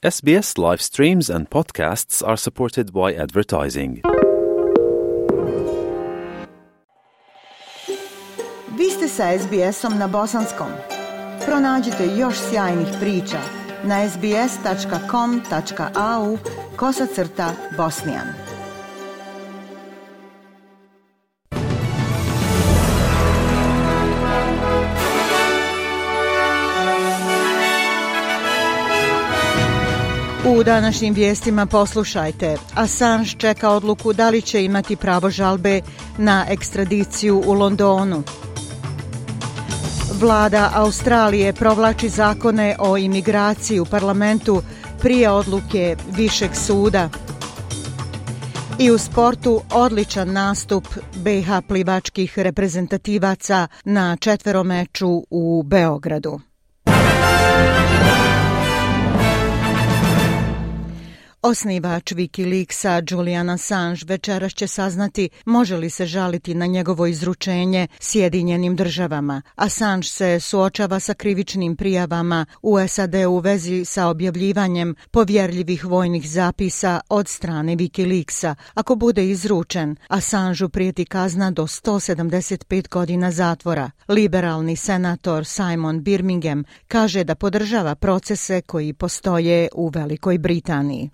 SBS live streams and podcasts are supported by advertising. Vi ste sa SBS-om na bosanskom. Pronađite još sjajnih priča na sbs.com.au/bosnian. U današnjim vijestima poslušajte. Assange čeka odluku da li će imati pravo žalbe na ekstradiciju u Londonu. Vlada Australije provlači zakone o imigraciji u parlamentu prije odluke Višeg suda. I u sportu odličan nastup BiH plivačkih reprezentativaca na četveromeču u Beogradu. Osnivač Wikileaksa Julian Assange večeras će saznati može li se žaliti na njegovo izručenje Sjedinjenim državama. Assange se suočava sa krivičnim prijavama u SAD u vezi sa objavljivanjem povjerljivih vojnih zapisa od strane Wikileaksa. Ako bude izručen, Assangeu prijeti kazna do 175 godina zatvora. Liberalni senator Simon Birmingham kaže da podržava procese koji postoje u Velikoj Britaniji.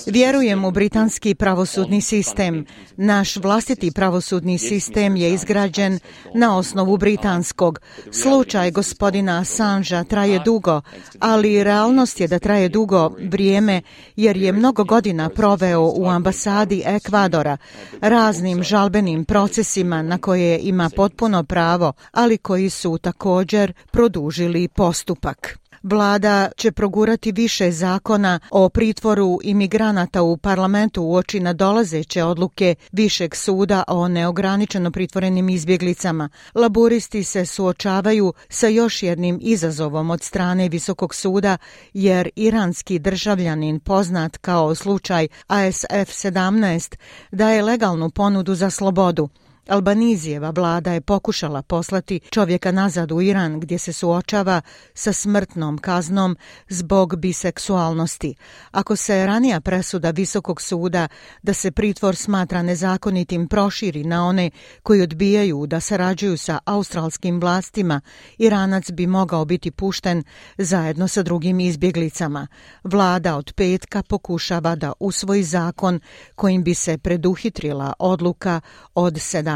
Vjerujem u britanski pravosudni sistem. Naš vlastiti pravosudni sistem je izgrađen na osnovu britanskog. Slučaj gospodina Assangea traje dugo, ali realnost je da traje dugo vrijeme jer je mnogo godina proveo u ambasadi Ekvadora, raznim žalbenim procesima na koje ima potpuno pravo, ali koji su također produžili postupak. Vlada će progurati više zakona o pritvoru imigranata u parlamentu uoči nadolazeće odluke Višeg suda o neograničeno pritvorenim izbjeglicama. Laburisti se suočavaju sa još jednim izazovom od strane Visokog suda jer iranski državljanin poznat kao slučaj ASF-17 daje legalnu ponudu za slobodu. Albanizijeva vlada je pokušala poslati čovjeka nazad u Iran gdje se suočava sa smrtnom kaznom zbog biseksualnosti. Ako se ranija presuda Visokog suda da se pritvor smatra nezakonitim proširi na one koji odbijaju da sarađuju sa australskim vlastima, Iranac bi mogao biti pušten zajedno sa drugim izbjeglicama. Vlada od petka pokušava da usvoji zakon kojim bi se preduhitrila odluka od 17.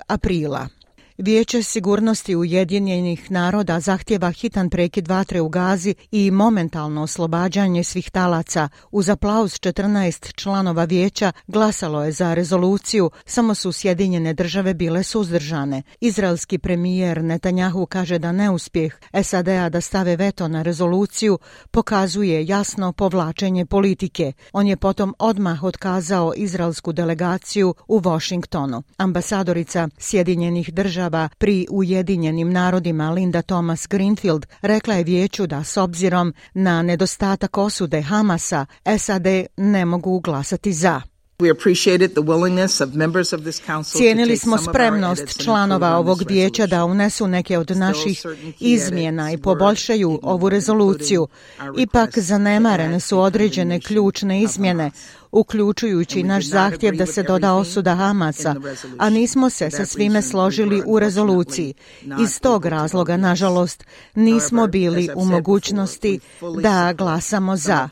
aprila. Vijeće sigurnosti Ujedinjenih naroda zahtjeva hitan prekid vatre u Gazi i momentalno oslobađanje svih talaca. Uz aplauz 14 članova vijeća glasalo je za rezoluciju, samo su Sjedinjene države bile suzdržane. Izraelski premijer Netanjahu kaže da neuspjeh SAD-a da stave veto na rezoluciju pokazuje jasno povlačenje politike. On je potom odmah otkazao izraelsku delegaciju u Washingtonu. Ambasadorica Sjedinjenih država pri Ujedinjenim narodima Linda Thomas Greenfield rekla je vijeću da s obzirom na nedostatak osude Hamasa, SAD ne mogu glasati za. Cijenili smo spremnost članova ovog vijeća da unesu neke od naših izmjena i poboljšaju ovu rezoluciju. Ipak zanemarene su određene ključne izmjene, uključujući naš zahtjev da se doda osuda Hamasa, a nismo se sa svime složili u rezoluciji. Iz tog razloga, nažalost, nismo bili u mogućnosti da glasamo za.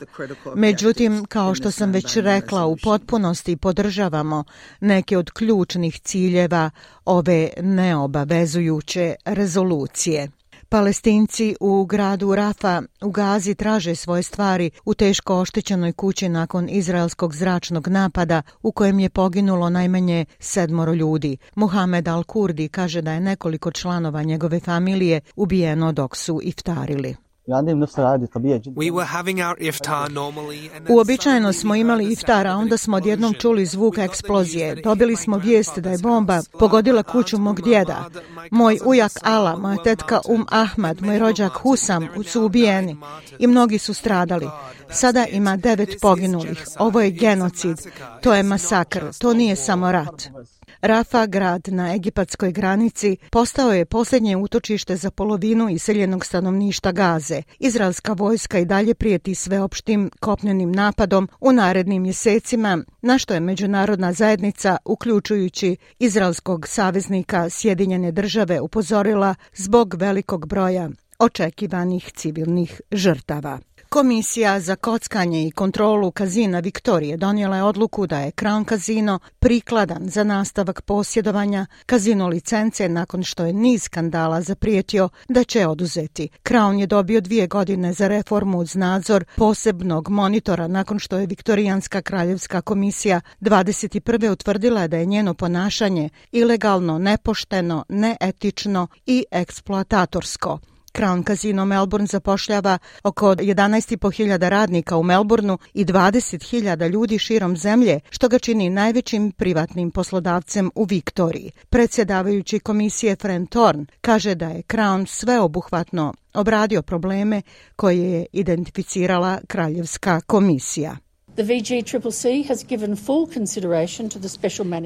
Međutim, kao što sam već rekla, u potpunosti podržavamo neke od ključnih ciljeva ove neobavezujuće rezolucije. Palestinci u gradu Rafa u Gazi traže svoje stvari u teško oštećenoj kući nakon izraelskog zračnog napada u kojem je poginulo najmanje 7 ljudi. Muhamed Al-Kurdi kaže da je nekoliko članova njegove familije ubijeno dok su iftarili. Uobičajeno smo imali iftar, a onda smo odjednom čuli zvuk eksplozije. Dobili smo vijest da je bomba pogodila kuću mog djeda. Moj ujak Ala, moja tetka Ahmad, moj rođak Husam su ubijeni i mnogi su stradali. Sada ima 9 poginulih. Ovo je genocid. To je masakr. To nije samo rat. Rafa, grad na egipatskoj granici, postao je posljednje utočište za polovinu iseljenog stanovništva Gaze. Izraelska vojska i dalje prijeti sveopštim kopnenim napadom u narednim mjesecima, na što je međunarodna zajednica, uključujući izraelskog saveznika Sjedinjene Države, upozorila zbog velikog broja očekivanih civilnih žrtava. Komisija za kockanje i kontrolu kazina Viktorije donijela je odluku da je Crown Casino prikladan za nastavak posjedovanja kazino licence nakon što je niz skandala zaprijetio da će oduzeti. Crown je dobio 2 godine za reformu uz nadzor posebnog monitora nakon što je Viktorijanska kraljevska komisija 21. utvrdila da je njeno ponašanje ilegalno, nepošteno, neetično i eksploatatorsko. Crown Casino Melbourne zapošljava oko 11.500 radnika u Melbourneu i 20.000 ljudi širom zemlje, što ga čini najvećim privatnim poslodavcem u Viktoriji. Predsjedavajući komisije Fran Thorne kaže da je Crown sveobuhvatno obradio probleme koje je identificirala Kraljevska komisija.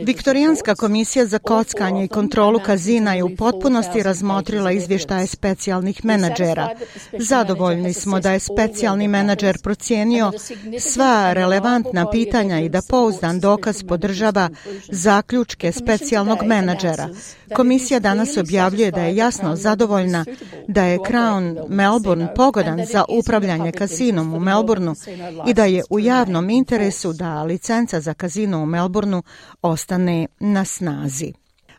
Viktorijanska komisija za kockanje i kontrolu kazina je u potpunosti razmotrila izvještaje specijalnih menadžera. Zadovoljni smo da je specijalni menadžer procijenio sva relevantna pitanja i da pouzdan dokaz podržava zaključke specijalnog menadžera. Komisija danas objavljuje da je jasno zadovoljna da je Crown Melbourne pogodan za upravljanje kazinom u Melbourneu i da je u javnom interesu da licenca za kazino u Melbourneu ostane na snazi.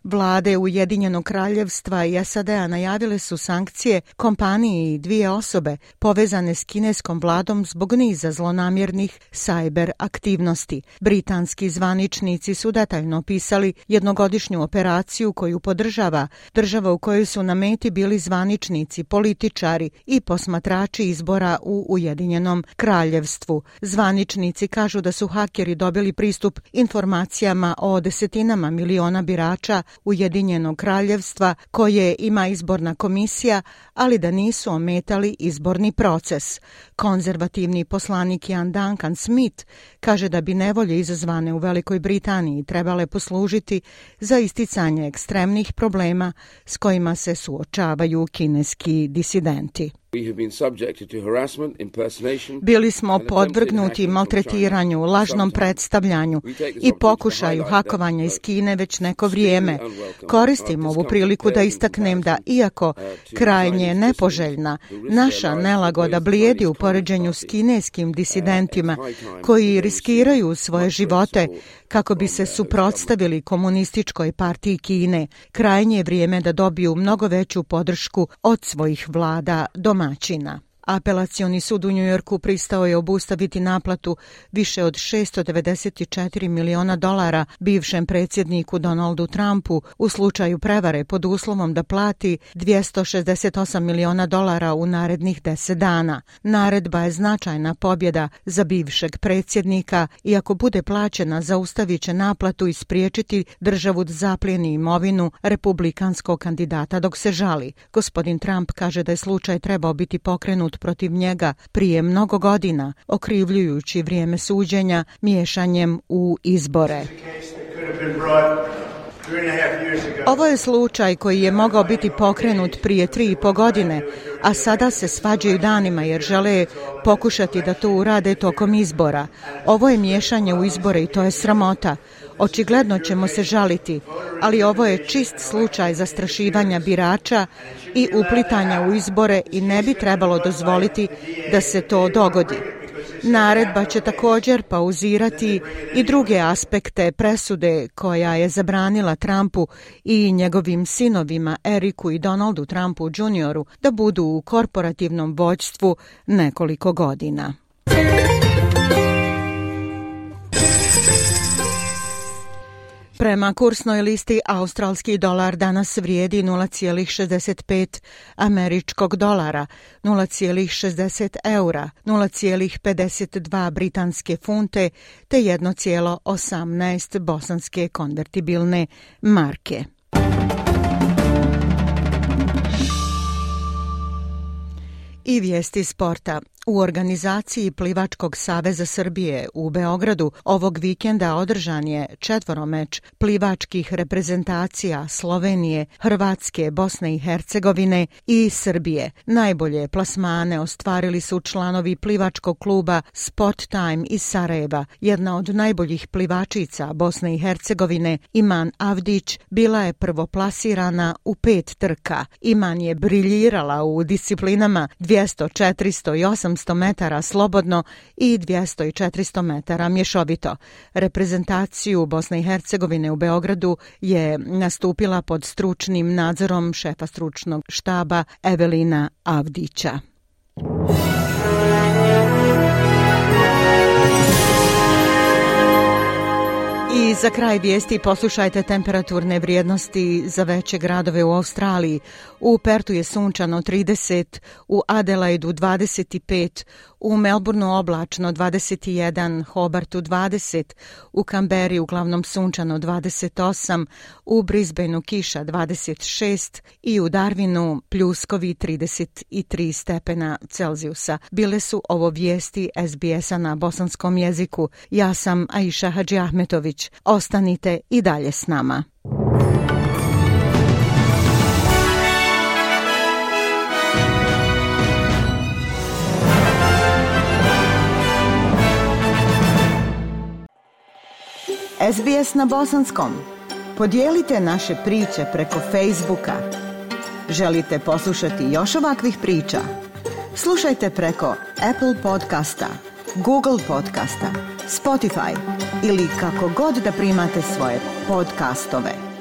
Vlade Ujedinjenog kraljevstva i SAD-a najavile su sankcije kompaniji i 2 osobe povezane s kineskom vladom zbog niza zlonamjernih sajber aktivnosti. Britanski zvaničnici su detaljno opisali jednogodišnju operaciju koju podržava država u kojoj su na meti bili zvaničnici, političari i posmatrači izbora u Ujedinjenom kraljevstvu. Zvaničnici kažu da su hakeri dobili pristup informacijama o desetinama miliona birača Ujedinjenog kraljevstva koje ima izborna komisija, ali da nisu ometali izborni proces. Konzervativni poslanik Ian Duncan Smith kaže da bi nevolje izazvane u Velikoj Britaniji trebale poslužiti za isticanje ekstremnih problema s kojima se suočavaju kineski disidenti. Bili smo podvrgnuti maltretiranju, lažnom predstavljanju i pokušaju hakovanja iz Kine već neko vrijeme. Koristim ovu priliku da istaknem da, iako krajnje nepoželjna, naša nelagoda blijedi u poređenju s kineskim disidentima koji riskiraju svoje živote kako bi se suprotstavili komunističkoj partiji Kine. Krajnje je vrijeme da dobiju mnogo veću podršku od svojih vlada domaćina. Apelacioni sud u Njujorku pristao je obustaviti naplatu više od $694 miliona bivšem predsjedniku Donaldu Trumpu u slučaju prevare pod uslovom da plati $268 miliona u narednih 10 dana. Naredba je značajna pobjeda za bivšeg predsjednika i ako bude plaćena zaustavit će naplatu i spriječiti državu da zaplijeni imovinu republikanskog kandidata dok se žali. Gospodin Trump kaže da je slučaj trebao biti pokrenut protiv njega prije mnogo godina, okrivljujući vrijeme suđenja miješanjem u izbore. Ovo je slučaj koji je mogao biti pokrenut prije 3,5 godine, a sada se svađaju danima jer žele pokušati da to urade tokom izbora. Ovo je miješanje u izbore i to je sramota. Očigledno ćemo se žaliti, ali ovo je čist slučaj zastrašivanja birača i uplitanja u izbore i ne bi trebalo dozvoliti da se to dogodi. Naredba će također pauzirati i druge aspekte presude koja je zabranila Trumpu i njegovim sinovima Eriku i Donaldu Trumpu Jr. da budu u korporativnom vođstvu nekoliko godina. Prema kursnoj listi australski dolar danas vrijedi 0,65 američkog dolara, 0,60 eura, 0,52 britanske funte te 1,18 bosanske konvertibilne marke. I vijesti sporta. U organizaciji Plivačkog saveza Srbije u Beogradu ovog vikenda održan je 4 meč plivačkih reprezentacija Slovenije, Hrvatske, Bosne i Hercegovine i Srbije. Najbolje plasmane ostvarili su članovi plivačkog kluba Sport Time iz Sarajeva. Jedna od najboljih plivačica Bosne i Hercegovine, Iman Avdić, bila je prvoplasirana u 5 trka. Iman je briljirala u disciplinama 200, 400 i 800 metara slobodno i 200 i 400 metara mješovito. Reprezentaciju Bosne i Hercegovine u Beogradu je nastupila pod stručnim nadzorom šefa stručnog štaba Evelina Avdića. I za kraj vijesti poslušajte temperaturne vrijednosti za veće gradove u Australiji. U Pertu je sunčano 30, u Adelaidu 25, u Melbourneu oblačno 21, Hobartu 20, u Kamberi uglavnom sunčano 28, u Brisbaneu kiša 26 i u Darwinu pljuskovi 33 stepena Celzijusa. Bile su ovo vijesti SBS-a na bosanskom jeziku. Ja sam Aisha Hadži Ahmetović. Ostanite i dalje s nama. SBS na bosanskom. Podijelite naše priče preko Facebooka. Želite poslušati još ovakvih priča? Slušajte preko Apple podcasta, Google podcasta, Spotify ili kako god da primate svoje podcastove.